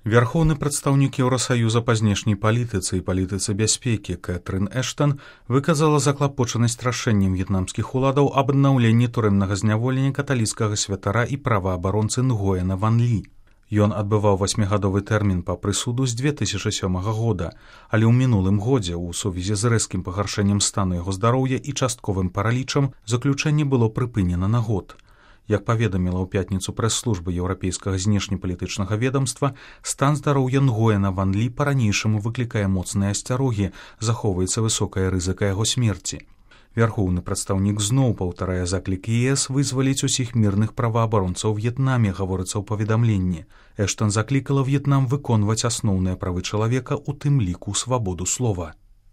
Вярхоўны прадстаўнік Еўрасаюза па знешняй палітыцы і палітыцы бяспекі Кэтрын Эштан выказала заклапочанасць рашэннем в'етнамскіх уладаў аб аднаўленні турэмнага зняволення каталіцкага святара і праваабаронцы Нгоена Ван Лі. Ён адбываў 8-гадовы тэрмін па прысуду з 2007 года, але ў мінулым годзе ў сувязі з рэзкім пагаршэннем стану яго здароўя і частковым паралічам заключэнне было прыпынена на год. Як паведаміла ў пятніцу прэс-служба еўрапейскага знешнепалітычнага ведамства, стан здароўя Нгоена Ван Лі па-ранейшаму выклікае моцныя асцярогі, захоўваецца высокая рызыка яго смерці. Вярхоўны прадстаўнік зноў паўтарае заклік ЕС вызваліць усіх мірных праваабаронцаў В'етнаме, гаворыцца ў паведамленні. Эштан заклікала В'етнам выконваць асноўныя правы чалавека, у тым ліку свабоду слова.